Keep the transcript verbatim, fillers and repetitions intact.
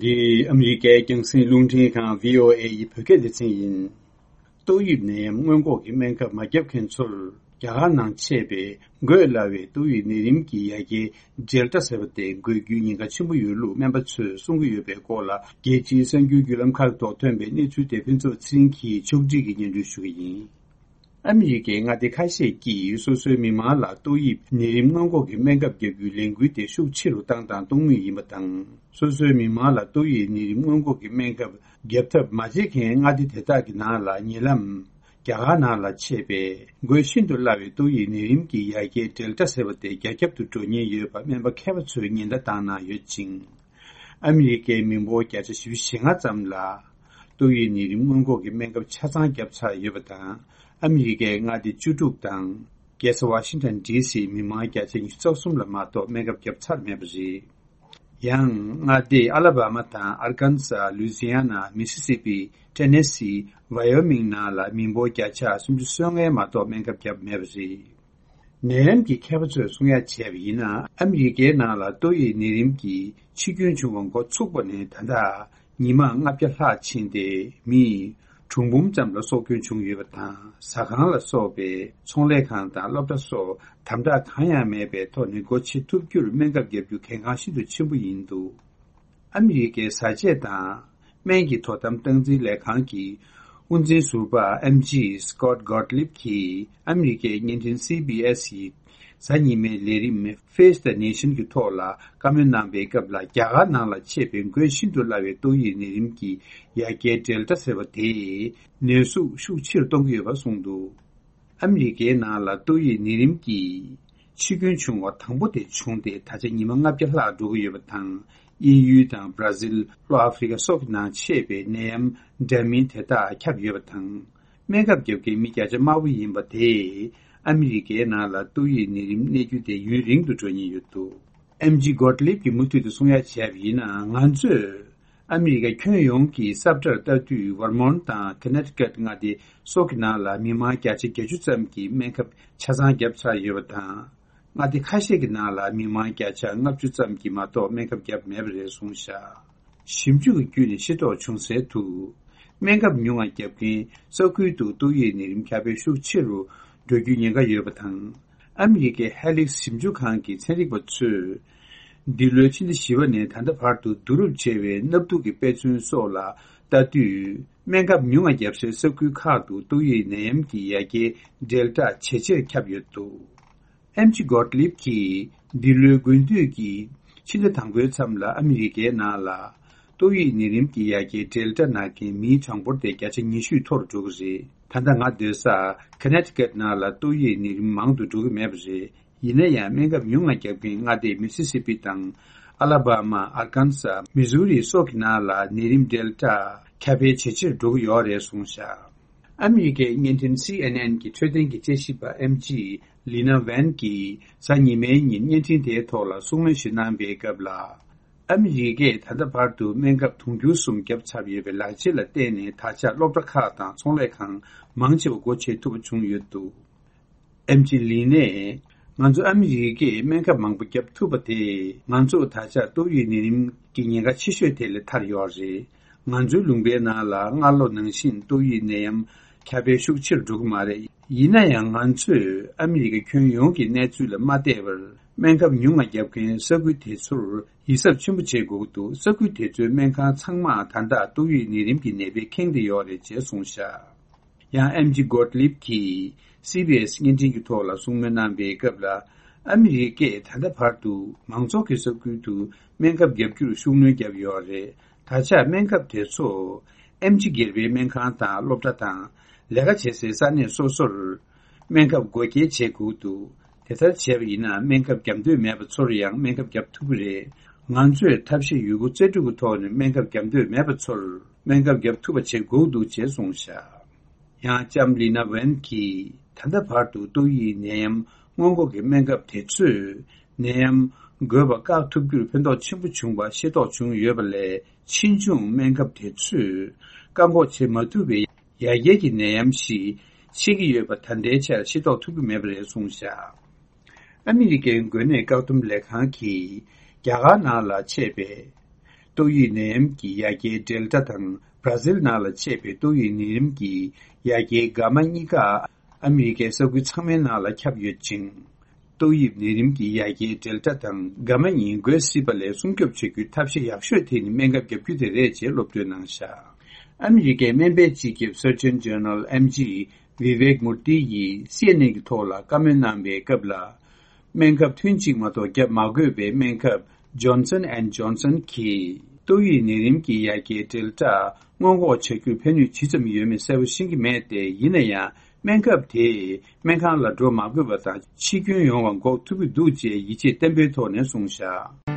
འདི་ཨ་མི་རི་ཀའི་རྒྱང་སྲིང་རླུང་འཕྲིན་ཁང་བྷི་ཨོ་ཨེ་ཡི་བོད་སྐད་སྡེ་ཚན་ཡིན། ཏོག་དབྱིབས་ནད་ཡམས་སྔོན་འགོག་གི་སྨན་ཁབ་མ་བརྒྱབ་མཁན་ཚོར་རྒྱ་གར་ནང་མཆེད་པའི་འགོས་སླ་བའི་ཏོག་དབྱིབས་ནད་རིམས་ཀྱི་ཡ་གྱལ་ཌེལ་ཊ་ཟེར་བ་དེ་འགོས་རྒྱུའི་ཉེན་ཁ་ཆེན་པོ་ཡོད་ལུགས་སྨན་པ་ཚོས་གསུང་གི་ཡོད་པའི་སྐོར་ལ། རྒྱལ་སྤྱིའི་གསར་འགྱུར་བརྒྱུད་ལམ་ཁག་ཐོག་ཐོན་པའི་གནས་ཚུལ་དེ་ཕུན་ཚོགས་ཚེ་རིང་གིས་ཕྱོགས་སྒྲིག་གིས་སྙན་སྒྲོན་ཞུ་གི་ཡིན། ཨ་མི་རི་ཀའི་མངའ་སྡེ་ཁ་ཤས་ཀྱིས་སོ་སོའི་མི་མང་ལ་ཏོག་དབྱིབས་ནད་རིམས་སྔོན་འགོག་གི་སྨན་ཁབ་བརྒྱབ་རྒྱུའི་ལས་འགུལ་དེ་ཤུགས་ཆེ་རུ་བཏང་དང་གཏོང་མུས་ཡིན་པ་དང་། སོ་སོའི་མི་མང་ལ་ཏོག་དབྱིབས་ནད་རིམས་སྔོན་འགོག་གི་སྨན་ཁབ་བརྒྱབ་ཐབས་མ་བྱེད་མཁན་མངའ་སྡེ་དེ་དག་གི་ནང་ལ་ཉེ་ལམ། རྒྱ་གར་ནང་ལ་མཆེད་པའི་འགོས་ཤིན་ཏུ་སླ་བའི་ཏོག་དབྱིབས་ནད་རིམས་ཀྱི་ཡ་གྱལ་ཌེལ་ཊ་ཟེར་བ་དེ་རྒྱ་ཁྱབ་ཏུ་འགྲོ་ཉེན་ཡོད་པ་སྨན་པ་མཁས་པ་ཚོས་ཉེན་བརྡ་བཏང་གནང་ཡོད་ཅིང་། ཨ་མི་རི་ཀའི་མི་འབོར་བརྒྱ་ཆ་བཞི་བཅུ་ཞེ་ལྔ་ཙམ་ལ་ཏོག་དབྱིབས་ནད་རིམས་སྔོན་འགོག་གི་སྨན་ཁབ་ཆ་ཚང་བརྒྱབ་ཚར་ཡོད་པ་དང་། ཨ་མི་རི་ཀའི་མངའ་སྡེ་བཅུ་དྲུག་དང་། རྒྱལ་ས་ཝ་ཤིང་ཊོན་ཌི་སིའི་མི་མང་བརྒྱ་ཆ་ཉི་ཤུ་རྩ་གསུམ་ལ་མ་གཏོགས་སྨན་ཁབ་བརྒྱབ་ཚར་མེད་པ་རེད། ཡང་མངའ་སྡེ་ཨ་ལ་བྷ་མ་དང་ཨར་ཀན་ས། ལུའི་ཛི་ཡ་ན། མི་སི་སི་པི། ཊེ་ནེ་སི། ཝ་ཡོ་མིང་ནང་ལ་མི་འབོར་བརྒྱ་ཆ་སུམ་ཅུ་སོ་ལྔ་མ་གཏོགས་སྨན་ཁབ་བརྒྱབ་མེད་པ་རེད། ནད་ཡམས་ཀྱི་མཁས་པ་ཚོས་གསུང་ཡ་བྱས་པ་ཡིན་ན། ཨ་མི་རི་ཀའི་ནང་ལ་ཏོག་དབྱིབས་ནད་རིམས་ཀྱི་འཆི་སྐྱོན་བྱུང་བ་འགོ་ཚུགས་པ་ནས་ད་ལྟ་ཉི་མ་ལྔ་བརྒྱ་ལྷག་ཕྱིན་ཏེ། མི་གྲངས་འབུམ་ཙམ་ལ་སྲོག་སྐྱོན་བྱུང་ཡོད་པ་དང་། ཟ་ཁང་ལ་སོགས་པའི་ཚོང་ལས་ཁང་དང་སློབ་གྲྭ་སོགས་དམ་དྲག་གང་ཡང་མེད་པའི་ཐོག་ནས་སྒོ་ཕྱེ་ཐུབ་རྒྱུར་སྨན་ཁབ་བརྒྱབ་རྒྱུ་གལ་འགངས་ཤིན་ཏུ་ཆེན་པོ་ཡིན་འདུག་ཨ་མི་རི་ཀའི་བཟའ་ཆས་དང་སྨན་གྱི་དོ་དམ་སྟངས་འཛིན་ལས་ཁང་གི་དབུ་འཛིན་ཟུར་པ་ཨེམ་ཇི་སི་ཀོཊ་གོཊ་ལིབ་ཀྱིས་ཨ་མི་རི་ཀའི་བརྙན་འཕྲིན་སི་བྷི་ཨེས་ཡི་གཟའ་ཉི་མའི་ལས་རིམ་Face the Nation གྱི་ཐོག་ལ་བཀའ་མོལ་གནང་པའི་སྐབས་ལ། རྒྱ་གར་ནང་ལ་མཆེད་པའི་འགོས་ཤིན་ཏུ་སླ་བའི་ཏོག་དབྱིབས་ནད་རིམས་ཀྱི་ཡ་གྱལ་ཌེལ་ཊ་ཟེར་བ་དེས་ནད་ཟུག་ཤུགས་ཆེ་རུ་གཏོང་གི་ཡོད་པ་གསུངས་འདུག་ཨ་མི་རི་ཀའི་ནང་ལ་ཏོག་དབྱིབས་ནད་རིམས་ཀྱི་འཆི་སྐྱོན་བྱུང་བ་དང་པོ་དེ་བྱུང་སྟེ། ད་ཆ་ཉི་མ་ལྔ་བརྒྱ་ལྷག་འགྲོ་གི་ཡོད་པ་དང་། དབྱིན་ཡུལ་དང་བྷ་ར་ཟིལ། ལྷོ་ཨ་ཧྥེ་རི་ཀ་སོགས་ཀྱི་ནང་མཆེད་པའི་ནད་ཡམས་འདྲ་མིན་དེ་དག་ཁྱབ་ཡོད་པ་དང་། སྨན་ཁབ་བརྒྱབ་མཁན་མི་བརྒྱ་ཆ་དམའ་བོ་ཡིན་པ་དེས་ཨ་མི་རི་ཀའི་ནང་ལ་ཏོག་དབྱིབས་ནད་རིམས་གནས་རྒྱུ་དེ་ཡུན་རིང་དུ་འགྲོ་ཉེན་ཡོད་འདུག་ཨེམ་ཇི་གོཊ་ལིབ་ཀྱིས་མུ་མཐུད་དུ་གསུང་ཡ་བྱས་པ་ཡིན་ན། ང་ཚོས་ཨ་མི་རི་ཀ་ཁྱོན་ཡོངས་ཀྱི་ས་བཀྲར་ལྟ་དུས། ཝར་མོན་ཊི་དང་ཀ་ནེ་ཊི་ཀཊ་མངའ་སྡེ་སོགས་ཀྱི་ནང་ལ་མི་མང་བརྒྱ་ཆ་བརྒྱད་ཅུ་ཙམ་གྱིས་སྨན་ཁབ་ཆ་ཚང་བརྒྱབ་ཚར་ཡོད་པ་དང་། མངའ་སྡེ་ཁ་ཤས་ཀྱི་ནང་ལ་མི་མང་བརྒྱ་ཆ་ལྔ་བཅུ་ཙམ་གྱིས་མ་གཏོགས་སྨན་ཁབ་བརྒྱབ་མེད་པ་རེད་གསུངས་བཞག་ཞིབ་འཇུག་གི་བརྒྱུད་ནས་ཤེས་རྟོགས་བྱུང་གསལ་དུ། སྨན་ཁབ་ཉུང་བ་བརྒྱབ་མཁན་ས་ཁུལ་དུ་ཏོག་དབྱིབས་ནད་རིམས་ཁྱབ་སྤེལ་ཤུགས་ཆེ་རུ་འགྲོ་རྒྱུའི་ཉེན་ཁ་ཡོད་པ་དང་། ཨ་མི་རི་ཀའི་ཧེ་ལིག་ཞིབ་འཇུག་ཁང་གི་ཚན་རིག་པ་ཚོས། འདི་ལོའི་ཕྱི་ཟླ་བཞི་པ་ནས་ད་ལྟ་བར་དུ་བསྡུ་རུབ་བྱས་པའི་སྣབས་དུག་གི་དཔེ་མཚོན་སོགས་ལ་ལྟ་དུས། སྨན་ཁབ་ཉུང་བ་བརྒྱབ་སའི་ས་ཁུལ་ཁག་ཏུ་ཏོག་དབྱིབས་ནད་ཡམས་ཀྱི་ཡ་གྱལ་ཌེལ་ཊ་ཇེ་ཆེར་ཁྱབ་ཡོད་འདུག་ཨེམ་ཇི་གོཊ་ལིབ་ཀྱིས་འདི་ལོའི་དགུན་དུས་ཀྱི་ཕྱི་ཟླ་དང་པོའི་མཚམས་ལ་ཨ་མི་རི་ཀའི་ནང་ལ་ཏོག་དབྱིབས་ནད་རིམས་ཀྱི་ཡ་གྱལ་ཌེལ་ཊ་ན་མཁན་མིའི་གྲངས་འབོར་དེ་བརྒྱ་ཆ་ཉི་ཤུའི་མཐོ་རུ་འགྲོ་གི་རེད། ད་ལྟ་ང་སྡོད་ས་ཀ་ནེ་ཊི་ཀཊ་ནང་ལ་ཏོག་དབྱིབས་ནད་རིམས་མང་དུ་འགྲོ་གི་མེད་པ་རེད། ཡིན་ན་ཡང་སྨན་ཁབ་ཉུང་ང་བརྒྱབ་མཁན་མངའ་སྡེ་མི་སི་སི་པི་དང་། ཨ་ལ་བྷ་མ། ཨར་ཀན་ས། མི་ཟུ་རི་སོགས་ཀྱི་ནང་ལ་ནད་རིམས་ཌེལ་ཊ་ཁྱབ་སྤེལ་ཇེ་ཆེར་འགྲོ་གི་ཡོད་རེད་གསུངས་བཞག་ཨ་མི་རི་ཀའི་བརྙན་འཕྲིན་སི་ཨེན་ཨེན་གྱི་འཕྲོད་བསྟེན་གྱི་དཔྱད་ཞིབ་པ་ཨེམ་ཇི་ལི་ན་ཝན་གྱིས་གཟའ་ཉི་མའི་ཉིན་བརྙན་འཕྲིན་དེའི་ཐོག་ལ་གསུང་མོལ་ཞིག་གནང་པའི་སྐབས་ལ། ཨ་མི་རི་ཀས་ད་ལྟ་བར་དུ་སྨན་ཁབ་དུང་ཕྱུར་གསུམ་བརྒྱབ་ཚར་ཡོད་པའི་ལག་རྗེས་ལ་བརྟེན་ནས། ད་ཆ་སློབ་གྲྭ་ཁག་དང་ཚོང་ལས་ཁང་མང་ཆེ་བ་སྒོ་ཕྱེ་ཐུབ་པ་བྱུང་ཡོད་འདུག་ཨེམ་ཆི་ལི་ནས། ང་ཚོ་ཨ་མི་རི་ཀས་སྨན་ཁབ་མང་པོ་བརྒྱབ་ཐུབ་པ་དེས། ང་ཚོ་ད་ཆ་ཏོག་དབྱིབས་ནད་རིམས་ཀྱི་ཉེན་ཁ་ཆེ་ཤོས་དེ་ལས་ཐར་ཡོད་རེད། ང་ཚོའི་ལུང་པའི་ནང་ལ་སྔ་ལོ་ནང་བཞིན་ཏོག་དབྱིབས་ནད་ཡམས་ཁྱབ་སྤེལ་ཤུགས་ཆེར་འགྲོ་གི་མ་རེད། ཡིན་ན་ཡང་། ང་ཚོས་ཨ་མི་རི་ཀ་ཁྱོན་ཡོངས་ཀྱི་གནས་ཚུལ་ལ་མ་བལྟས་པར། སྨན་ཁབ་ཉུང་ང་བརྒྱབ་མཁན་ས་ཁུལ་དེ་ཚོར་ཡིད་གཟབ་ཆེན་པོ་བྱེད་དགོས་ཀྱི་འདུག་ས་ཁུལ་དེ་ཚོའི་སྨན་ཁང་ཚང་མ་ད་ལྟ་ཏོག་དབྱིབས་ནད་རིམས་ཀྱི་ནད་པས་ཁེངས་བསྡད་ཡོད་རེད་ཅེས་གསུངས་བཞག་ཡང་ཨེམ་ཆི་གོཊ་ལིབ་ཀྱིས་སི་བྷི་ཨེས་བརྙན་འཕྲིན་གྱི་ཐོག་ལ་གསུང་མོལ་གནང་པའི་སྐབས་ལ། ཨ་མི་རི་ཀས་ད་ལྟ་བར་དུ་མང་ཚོགས་ཀྱི་ས་ཁུལ་དུ་སྨན་ཁབ་བརྒྱབ་རྒྱུར་ཤུགས་སྣོན་བརྒྱབ་ཡོད་རེད། ད་ཆ་སྨན་ཁབ་དེ་ཚོ་ཨེམ་ཆི་སྒེར་པའི་སྨན་ཁང་དང་སློབ་གྲྭ་དང་ལས་ཀ་བྱེད་སའི་ས་གནས་སོ་སོར་སྨན་ཁབ་བགོ་སྐྱེལ་བྱེད་དགོས་འདུག་དེ་ལྟར་བྱས་པ་ཡིན་ན། སྨན་ཁབ་བརྒྱབ་འདོད་མེད་པ་ཚོར་ཡང་སྨན་ཁབ་བརྒྱབ་ཐུབ་ཀྱི་རེད། ང་ཚོས་ཐབས་ཤེས་ཡོད་རྒུ་རྩལ་སྤྲུགས་ཀྱི་ཐོག་ནས་སྨན་ཁབ་བརྒྱབ་འདོད་མེད་པ་ཚོར་སྨན་ཁབ་བརྒྱབ་ཐུབ་པ་བྱེད་དགོས་འདུག་ཅེས་གསུངས་བཞག་ཡང་ལྕམ་ལི་ན་ཝན་གྱིས། ད་ལྟ་བར་དུ་ཏོག་དབྱིབས་ནད་ཡམས་སྔོན་འགོག་གི་སྨན་ཁབ་དེ་ཚོས་ནད་ཡམས་འགོས་པ་བཀག་ཐུབ་རྒྱུར་ཕན་ཐོགས་ཆེན་པོ་བྱུང་བ་ཤེས་རྟོགས་བྱུང་ཡོད་པ་ལས། ཕྱིས་འབྱུང་སྨན་ཁབ་དེ་ཚོས་བཀག་འགོག་བྱེད་མ་ཐུབ་པའི་ཡ་གྱལ་གྱི་ནད་ཡམས་ཤིག་མཆེད་ཀྱི་ཡོད་པ་ད་ལྟའི་ཆར་ཤེས་རྟོགས་ཐུབ་ཀྱི་མེད་པ་རེད་གསུངས་བཞག་ཨ་མི་རི་ཀའི་འགོས་ནད་བཀག་སྡོམ་ལས་ཁང་གིས་རྒྱ་གར་ནང་ལ་མཆེད་པའི་ ཏོག་དབྱིབས་ནད་ཡམས་ཀྱི་ཡ་གྱལ་ཌེལ་ཊ་དང་། བྷ་ར་ཟིལ་ནང་ལ་མཆེད་པའི་ཏོག་དབྱིབས་ནད་ཡམས་ཀྱི་ཡ་གྱལ་གྷ་མ་གཉིས་ཀ་ཨ་མི་རི་ཀའི་ས་ཁུལ་ཚང་མའི་ནང་ལ་ཁྱབ་ཡོད་ཅིང་། ཏོག་དབྱིབས་ནད་རིམས་ཀྱི་ཡ་གྱལ་ཌེལ་ཊ་དང་གྷ་མ་གཉིས་འགོས་སྲིད་པ་ལས་སྲུང་སྐྱོབ་བྱ་རྒྱུའི་ཐབས་ཤེས་ཡག་ཤོས་དེ་ནི་སྨན་ཁབ་བརྒྱབ་རྒྱུ་དེ་རེད་ཅེས་སློབ་སྟོན་གནང་བཞག་ཨ་མི་རི་ཀའི་སྨན་པའི་སྤྱི་ཁྱབ་Surgeon General M G Vivek Murthy ཡིས་སི་ཨེན་ཨེན་གྱི་ཐོག་ལ་བཀའ་མོལ་གནང་བའི་སྐབས་ལ། སྨན་ཁབ་ཐུན་གཅིག་མ་གཏོགས་བརྒྱབ་མ་དགོས་པའི་སྨན་ཁབ་Johnson and Johnson གྱིས་ཏོག་དབྱིབས་ནད་རིམས་ཀྱི་ཡ་གྱལ་ཌེལ་ཊ་སྔོན་འགོག་བྱ་རྒྱུར་ཕན་ནུས་ཇི་ཙམ་ཡོད་མེད་གསལ་པོ་ཤེས་ཀྱི་མེད་དེ། ཡིན་ན་ཡང་སྨན་ཁབ་དེས་སྨན་ཁང་ལ་འགྲོ་མ་དགོས་པ་དང་འཆི་སྐྱོན་ཡོང་བ་འགོག་ཐུབ་ཀྱི་འདུག་ཅེས་ཡིད་ཆེས་བརྟན་པོའི་ཐོག་ནས་གསུངས་བཞག